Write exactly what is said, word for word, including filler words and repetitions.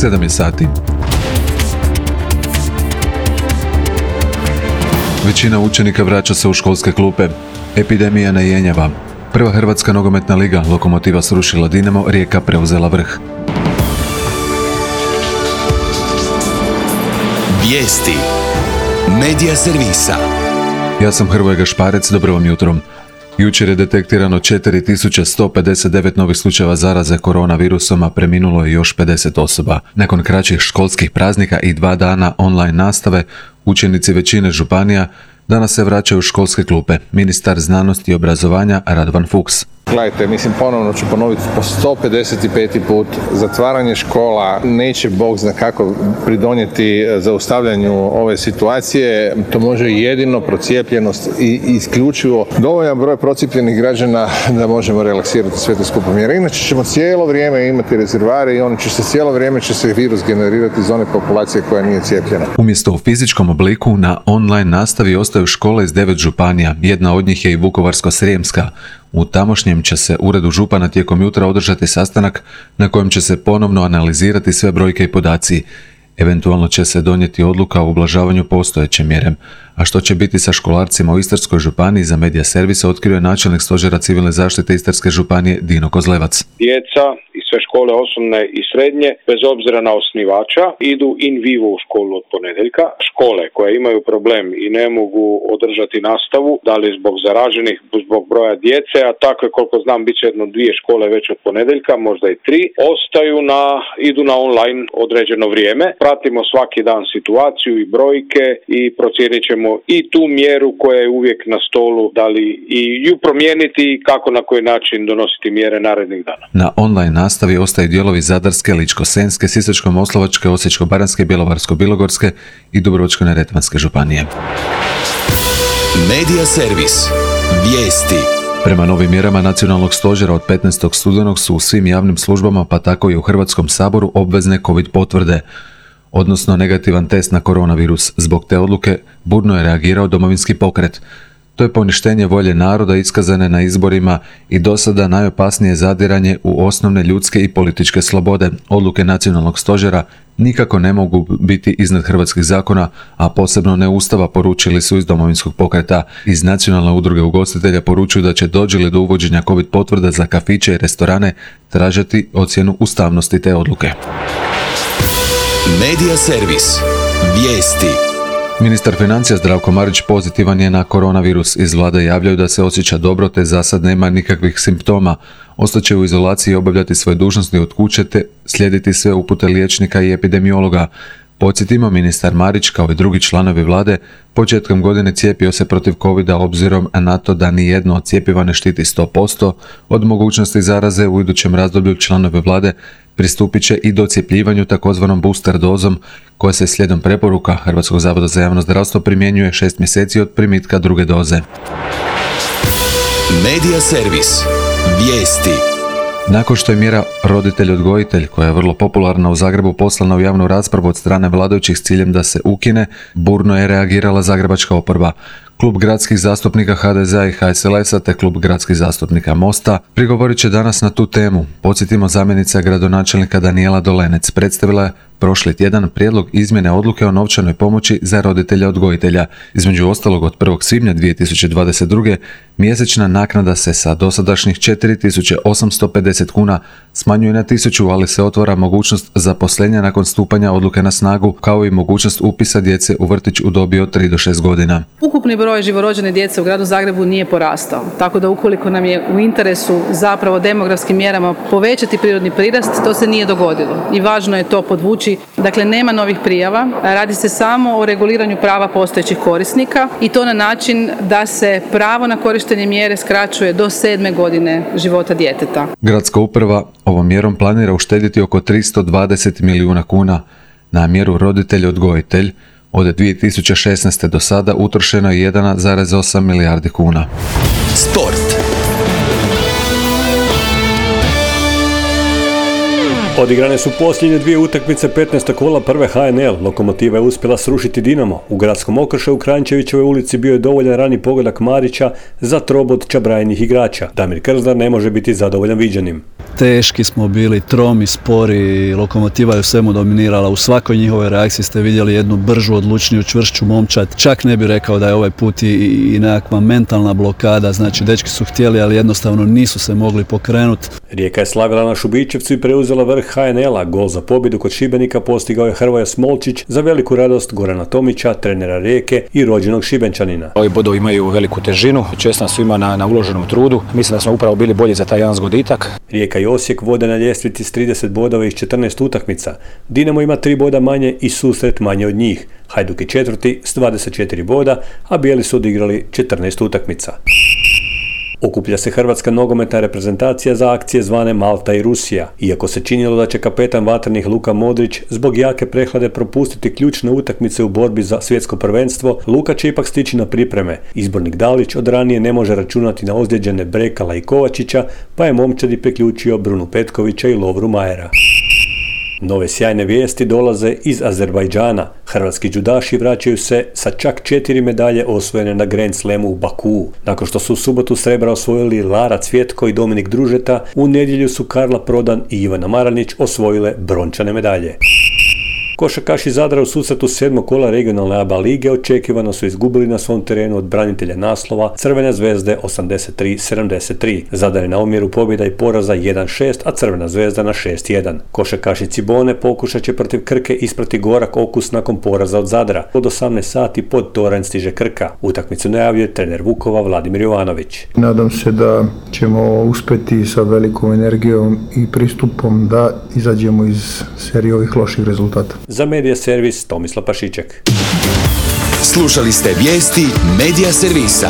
sedam je sati. Većina učenika vraća se u školske klupe. Epidemija ne jenjava. Prva hrvatska nogometna liga, Lokomotiva srušila Dinamo, Rijeka preuzela vrh. Vijesti Medija servisa. Ja sam Hrvoje Gašparec, dobro vam jutro. Jučer je detektirano četiri tisuće sto pedeset devet novih slučajeva zaraze koronavirusom, a preminulo je još pedeset osoba. Nakon kraćih školskih praznika i dva dana online nastave, učenici većine županija danas se vraćaju u školske klupe. Ministar znanosti i obrazovanja Radovan Fuchs. Gledajte, mislim, ponovno ću ponoviti po sto pedeset peti put, zatvaranje škola neće Bog zna kako pridonijeti zaustavljanju ove situacije. To može jedino procijepljenost i isključivo dovoljan broj procijepljenih građana da možemo relaksirati sve te skupo mjere. Inače ćemo cijelo vrijeme imati rezervare i on će se cijelo vrijeme će se virus generirati iz one populacije koja nije cijepljena. Umjesto u fizičkom obliku, na online nastavi ostaju škole iz devet županija. Jedna od njih je i Vukovarsko-srijemska. U tamošnjem će se uredu župana tijekom jutra održati sastanak na kojem će se ponovno analizirati sve brojke i podaci. Eventualno će se donijeti odluka o ublažavanju postojeće mjere. A što će biti sa školarcima u Istarskoj županiji, za Medija servisa otkrio je načelnik stožera civilne zaštite Istarske županije Dino Kozlevac. Djeca i sve škole osnovne i srednje, bez obzira na osnivača, idu in vivo u školu od ponedjeljka. Škole koje imaju problem i ne mogu održati nastavu, da li zbog zaraženih, zbog broja djece, a takve koliko znam bit će jedno dvije škole već od ponedjeljka, možda i tri, ostaju na, idu na online određeno vrijeme. Pratimo svaki dan situaciju i brojke i procijenit ćemo i tu mjeru koja je uvijek na stolu, da li i ju promijeniti i kako na koji način donositi mjere narednih dana. Na online nastavi ostaju dijelovi Zadarske, Ličko-senjske, Sisačko-moslavačke, Osječko-baranjske, Bjelovarsko-bilogorske i Dubrovačko-neretvanske županije. Medija servis. Vijesti. Prema novim mjerama nacionalnog stožera od petnaestog studenog su u svim javnim službama, pa tako i u Hrvatskom saboru, obvezne COVID potvrde, odnosno negativan test na koronavirus. Zbog te odluke burno je reagirao Domovinski pokret. To je poništenje volje naroda iskazane na izborima i do sada najopasnije zadiranje u osnovne ljudske i političke slobode. Odluke nacionalnog stožera nikako ne mogu biti iznad hrvatskih zakona, a posebno ne Ustava, poručili su iz Domovinskog pokreta. Iz Nacionalne udruge ugostitelja poručuju da će, dođe li do uvođenja COVID potvrda za kafiće i restorane, tražiti ocjenu ustavnosti te odluke. Medija servis. Vijesti. Ministar financija Zdravko Marić pozitivan je na koronavirus. Iz vlade javljaju da se osjeća dobro te za sad nema nikakvih simptoma. Ostaće u izolaciji i obavljati svoje dužnosti od kuće te slijediti sve upute liječnika i epidemiologa. Podsjetimo, ministar Marić kao i drugi članovi vlade početkom godine cijepio se protiv covida obzirom na to da ni jedno od cjepiva ne štiti sto posto od mogućnosti zaraze. U idućem razdoblju članovi vlade pristupit će i docijepljivanju takozvanom booster dozom koja se slijedom preporuka Hrvatskog zavoda za javno zdravstvo primjenjuje šest mjeseci od primitka druge doze. Medija servis. Vijesti. Nakon što je mjera roditelj-odgojitelj, koja je vrlo popularna u Zagrebu, poslana u javnu raspravu od strane vladajućih s ciljem da se ukine, burno je reagirala zagrebačka oporba. Klub gradskih zastupnika ha de zea i ha es el es-a te klub gradskih zastupnika Mosta prigovorit će danas na tu temu. Podsjetimo, zamjenica gradonačelnika Danijela Dolenec predstavila je prošli tjedan prijedlog izmjene odluke o novčanoj pomoći za roditelja odgojitelja. Između ostalog, od prvog svibnja dvije tisuće dvadeset druge mjesečna naknada se sa dosadašnjih četiri tisuće osamsto pedeset kuna smanjuje na tisuću, ali se otvara mogućnost zaposlenja nakon stupanja odluke na snagu, kao i mogućnost upisa djece u vrtić u dobi od tri do šest godina. Ukupni broj živorođene djece u gradu Zagrebu nije porastao, tako da ukoliko nam je u interesu zapravo demografskim mjerama povećati prirodni prirast, to se nije dogodilo i važno je to podvući. Dakle, nema novih prijava, radi se samo o reguliranju prava postojećih korisnika i to na način da se pravo na korištenje mjere skraćuje do sedme godine života djeteta. Gradska uprava ovom mjerom planira uštedjeti oko tristo dvadeset milijuna kuna. Na mjeru roditelj-odgojitelj od dvije tisuće šesnaeste do sada utrošeno je jedan zarez osam milijardi kuna. Sport. Odigrane su posljednje dvije utakmice petnaestog kola prve ha en el. Lokomotiva je uspjela srušiti Dinamo. U gradskom okršaju u Kranjčevićevoj ulici bio je dovoljan rani pogodak Marića za trobot čabrajenih igrača. Damir Krznar ne može biti zadovoljan viđenim. teški smo bili, tromi, spori, Lokomotiva je u svemu dominirala. U svakoj njihovoj reakciji ste vidjeli jednu bržu, odlučniju, čvršću momčad. Čak ne bih rekao da je ovaj put i, i nekakva mentalna blokada, znači dečki su htjeli, ali jednostavno nisu se mogli pokrenuti. Rijeka je slavila na Šubićevcu i preuzela vrh ha en el-a. Gol za pobjedu kod Šibenika postigao je Hrvoje Smolčić za veliku radost Gorana Tomića, trenera Rijeke i rođenog Šibenčanina. Ovi bodovi imaju veliku težinu, čestam svima na, na uloženom trudu. Mislim da smo upravo bili bolji za taj jedan zgoditak. Rijeka i Osijek vode na ljestvici s trideset bodova iz četrnaest utakmica. Dinamo ima tri boda manje i Susret manje od njih. Hajduk je četvrti s dvadeset četiri boda, a bijeli su odigrali četrnaest utakmica. Okuplja se hrvatska nogometna reprezentacija za akcije zvane Malta i Rusija. Iako se činilo da će kapetan vatrenih Luka Modrić zbog jake prehlade propustiti ključne utakmice u borbi za svjetsko prvenstvo, Luka će ipak stići na pripreme. Izbornik Dalić od ranije ne može računati na ozlijeđene Brekala i Kovačića, pa je momčadi priključio Brunu Petkovića i Lovru Majera. Nove sjajne vijesti dolaze iz Azerbajdžana. Hrvatski džudaši vraćaju se sa čak četiri medalje osvojene na Grand Slamu u Bakuu. Nakon što su u subotu srebra osvojili Lara Cvjetko i Dominik Družeta, u nedjelju su Karla Prodan i Ivana Maranić osvojile brončane medalje. Košarkaši Zadra u susretu sedmog kola regionalne A B A lige očekivano su izgubili na svom terenu od branitelja naslova Crvene zvezde osamdeset tri sedamdeset tri. Zadar je na omjeru pobjeda i poraza jedan šest, a Crvena zvezda na šest jedan. Košarkaši Cibone pokušat će protiv Krke isprati gorak okus nakon poraza od Zadra. Od osamnaest sati pod toranj stiže Krka. Utakmicu najavljuje trener Vukova Vladimir Jovanović. Nadam se da ćemo uspjeti sa velikom energijom i pristupom da izađemo iz serije ovih loših rezultata. Za Medija Servis Tomislav Pašiček. Slušali ste vijesti Medija Servisa.